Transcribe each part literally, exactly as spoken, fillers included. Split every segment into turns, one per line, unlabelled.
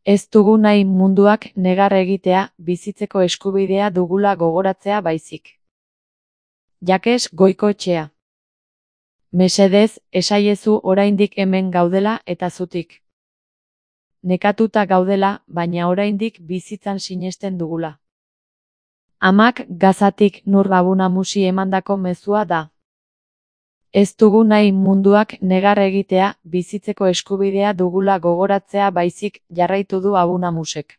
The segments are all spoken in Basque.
Ez dugu nahi munduak negar egitea, bizitzeko eskubidea dugula gogoratzea baizik. Jakes Goikoetxea. Mesedez, esaiezu oraindik hemen gaudela eta zutik. Nekatuta gaudela, baina oraindik bizitzan sinesten dugula. Amak Gazatik Nur Abu Namusi emandako mezua da. Ez dugu nahi munduak negar egitea, bizitzeko eskubidea dugula gogoratzea baizik, jarraitu du Abu Namusek.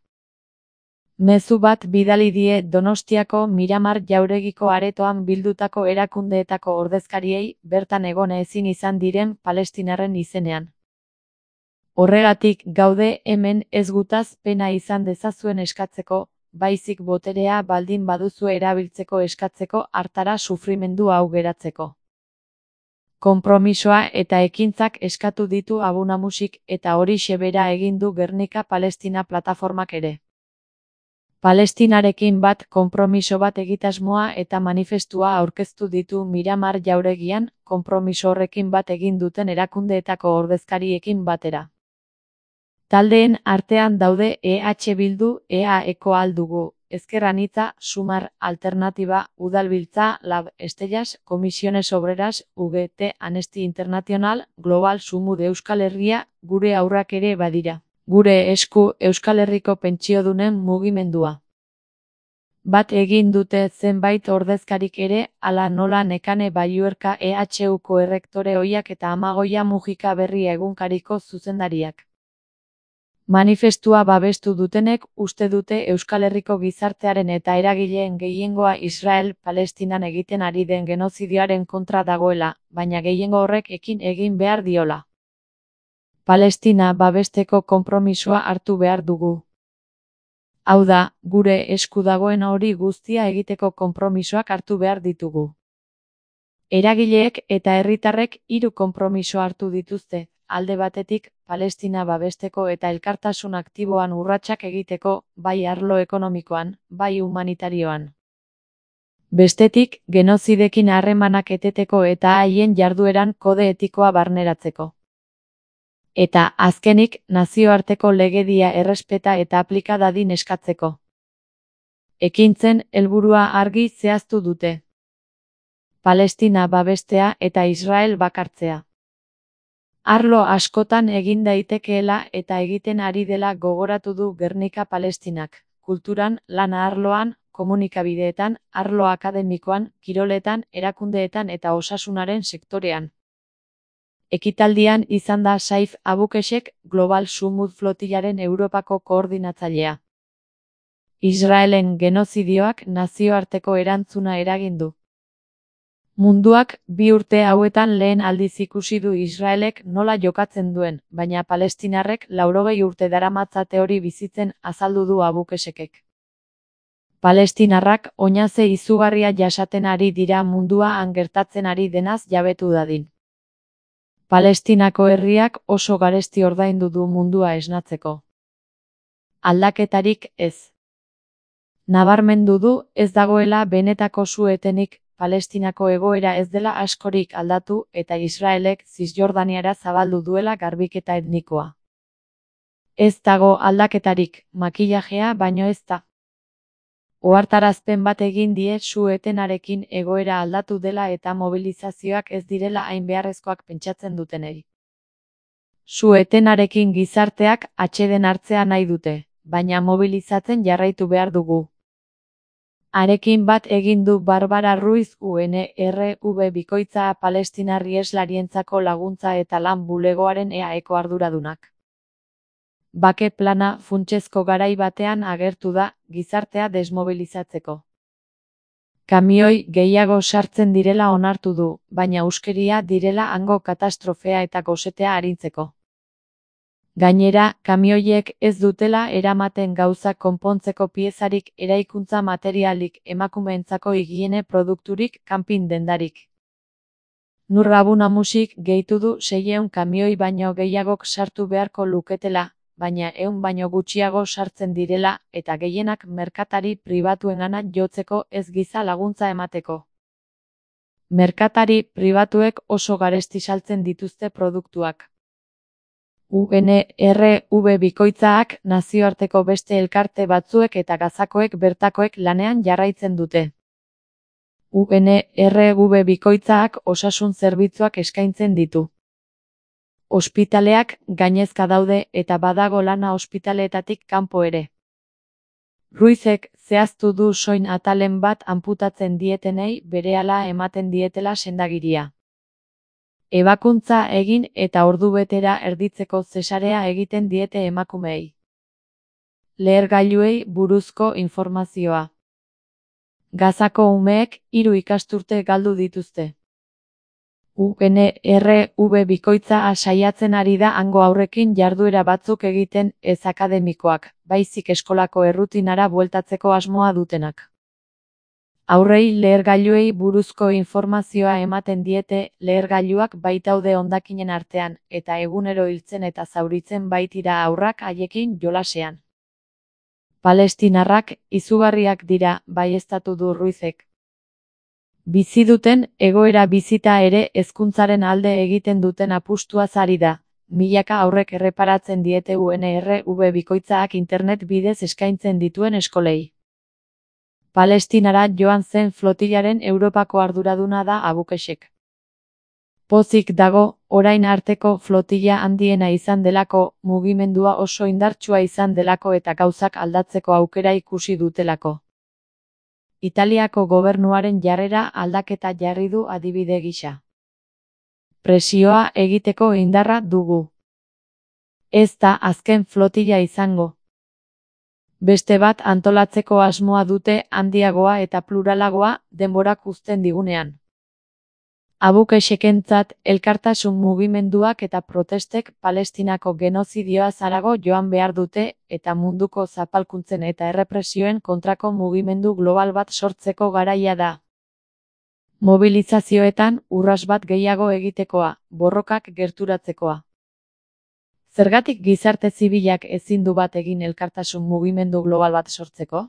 Mezu bat bidali die Donostiako Miramar jauregiko aretoan bildutako erakundeetako ordezkariei bertan egon ezin izan diren palestinarren izenean. Horregatik gaude hemen ez gutaz pena izan dezazuen eskatzeko, baizik boterea baldin baduzu erabiltzeko eskatzeko hartara sufrimendu hau geratzeko. Konpromisoa eta ekintzak eskatu ditu Abu Namusik eta horixe bera egin du Gernika Palestina plataformak ere. Palestinarekin bat konpromiso bat egitasmoa eta manifestua aurkeztu ditu Miramar jauregian, konpromiso horrekin bat egin duten erakundeetako ordezkariekin batera. Taldeen artean daude E H Bildu, E A Eko aldugu, Ezker Anitza, Sumar, Alternatiba, Udalbiltza, Lab, Estellas, Comisiones Obreras, U G T, Amnesty International, Global Sumud Euskal Herria, gure aurrak ere badira. Gure esku Euskal Herriko pentsiodunen mugimendua. Bat egin dute zenbait ordezkarik ere, hala nola Nekane Balluerka E H Uko errektore ohiak eta Amagoia Mujika Berria egunkariko zuzendariak. Manifestua babestu dutenek uste dute Euskal Herriko gizartearen eta eragileen gehiengoa Israel-Palestinan egiten ari den genozidioaren kontra dagoela, baina gehiengo horrek ekin egin behar diola. Palestina babesteko konpromisoa hartu behar dugu. Hau da, gure esku dagoen hori guztia egiteko konpromisoak hartu behar ditugu. Eragileek eta herritarrek hiru konpromiso hartu dituzte, alde batetik, Palestina babesteko eta elkartasun aktiboan urratsak egiteko, bai arlo ekonomikoan, bai humanitarioan. Bestetik, genozidekin harremanak eteteko eta haien jardueran kode etikoa barneratzeko. Eta, azkenik, nazioarteko legedia errespeta eta aplika dadin eskatzeko. Ekintzen, helburua argi zehaztu dute. Palestina babestea eta Israel bakartzea. Arlo askotan egin daitekeela eta egiten ari dela gogoratu du Gernika Palestinak, kulturan, lana arloan, komunikabideetan, arlo akademikoan, kiroletan, erakundeetan eta osasunaren sektorean. Ekitaldian izan da Saif Abukesek, Global Sumud Flotilaren Europako koordinatzailea. Israelen genozidioak nazioarteko erantzuna eragin du. Munduak bi urte hauetan lehen aldiz ikusi du Israelek nola jokatzen duen, baina palestinarrek laurogei urte daramatzate hori bizitzen azaldu du Abukesekek. Palestinarrak oinaze izugarria jasaten ari dira mundua han gertatzen ari denaz jabetu dadin. Palestinako herriak oso garesti ordaindu du mundua esnatzeko. Aldaketarik ez. Nabarmendu du ez dagoela benetako su-etenik, Palestinako egoera ez dela askorik aldatu eta Israelek Zisjordaniara zabaldu duela garbiketa etnikoa. Ez dago aldaketarik, makillajea baino ez da. Ohartarazpen bat egin die su-etenarekin egoera aldatu dela eta mobilizazioak ez direla hain beharrezkoak pentsatzen dutenei. Su-etenarekin gizarteak atseden hartzea nahi dute, baina mobilizatzen jarraitu behar dugu. Arekin bat egin du Barbara Ruiz U N R V bikoitza Palestinar iheslarientzako laguntza eta lan bulegoaren E A Eko arduradunak. Bake plana funtsezko garai batean agertu da, gizartea desmobilizatzeko. Kamioi gehiago sartzen direla onartu du, baina huskeria direla hango katastrofea eta gosetea arintzeko. Gainera, kamioiek ez dutela eramaten gauzak konpontzeko piezarik, eraikuntza materialik, emakumeentzako higiene produkturik, kanpin dendarik. Nur Abu Namusik gehitu du seiehun kamioi baino gehiagok sartu beharko luketela, baina ehun baino gutxiago sartzen direla, eta gehienak merkatari pribatuengana jotzeko ez giza laguntza emateko. Merkatari pribatuek oso garesti saltzen dituzte produktuak. U N R V bikoitzaak nazioarteko beste elkarte batzuek eta gazakoek bertakoek lanean jarraitzen dute. U N R V bikoitzaak osasun zerbitzuak eskaintzen ditu. Ospitaleak gainezka daude eta badago lana ospitaleetatik kanpo ere. Ruizek zehaztu du soin atalen bat anputatzen dietenei berehala ematen dietela sendagiria. Ebakuntza egin eta ordubetera erditzeko zesarea egiten diete emakumeei. Lehergailuei buruzko informazioa. Gazako umeek hiru ikasturte galdu dituzte. U N R V bikoitza saiatzen ari da hango haurrekin jarduera batzuk egiten ez akademikoak, baizik eskolako errutinara bueltatzeko asmoa dutenak. Haurrei lehergailuei buruzko informazioa ematen diete, lehergailuak baitaude hondakinen artean, eta egunero hiltzen eta zauritzen baitira haurrak haiekin jolasean. Palestinarrak izugarriak dira, baieztatu du Ruizek. Bizi duten egoera bizita ere hezkuntzaren alde egiten duten apustuaz ari da, milaka haurrek erreparatzen diete U N R V bikoitzaak internet bidez eskaintzen dituen eskolei. Palestinara joan zen flotilaren Europako arduraduna da Abukesek. Pozik dago, orain arteko flotila handiena izan delako, mugimendua oso indartsua izan delako eta gauzak aldatzeko aukera ikusi dutelako. Italiako gobernuaren jarrera aldaketa jarri du adibide gisa. Presioa egiteko indarra dugu. Ez da azken flotila izango. Beste bat antolatzeko asmoa dute handiagoa eta pluralagoa denborak uzten digunean. Abukesekentzat elkartasun mugimenduak eta protestek Palestinako genozidioa harago joan behar dute eta munduko zapalkuntzen eta errepresioen kontrako mugimendu global bat sortzeko garaia da. Mobilizazioetan urras bat gehiago egitekoa, borrokak gerturatzekoa. Zergatik gizarte zibilak ezin du bat egin elkartasun mugimendu global bat sortzeko?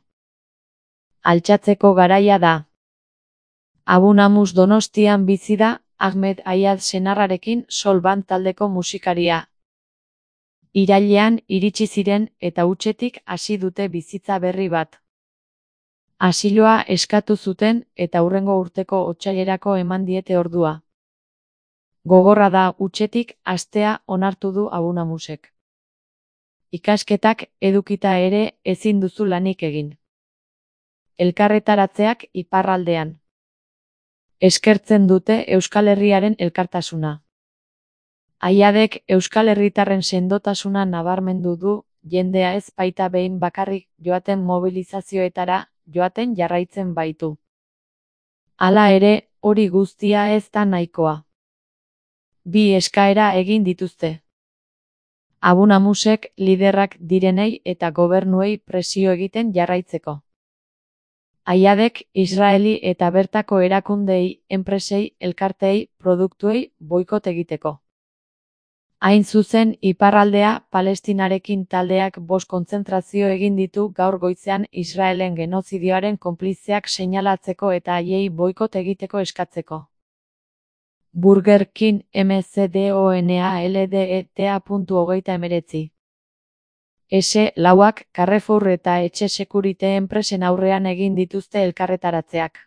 Altxatzeko garaia da. Abu Namus Donostian bizi da, Ahmed Ayad senarrarekin Sol Band taldeko musikaria. Irailean iritsi ziren eta hutsetik hasi dute bizitza berri bat. Asiloa eskatu zuten eta hurrengo urteko otsailerako eman diete ordua. Gogorra da hutsetik hastea onartu du Abu Namusek. Ikasketak edukita ere ezin duzu lanik egin. Elkarretaratzeak iparraldean. Eskertzen dute Euskal Herriaren elkartasuna. Ayadek Euskal Herritarren sendotasuna nabarmendu du, jendea ez baita behin bakarrik joaten mobilizazioetara, joaten jarraitzen baitu. Hala ere, hori guztia ez da nahikoa. Bi eskaera egin dituzte. Abu Namusek liderrak direnei eta gobernuei presio egiten jarraitzeko. Ayadek Israeli eta bertako erakundei, enpresei, elkarteei, produktuei boikot egiteko. Hain zuzen, iparraldea Palestinarekin taldeak bost kontzentrazio egin ditu gaur goizean Israelen genozidioaren konplizeak seinalatzeko eta haiei boikot egiteko eskatzeko. Burger King M C D O N A L D E T A hogeita hemeretzi. S lauak Carrefour eta etxe sekurite enpresen aurrean egin dituzte elkarretaratzeak.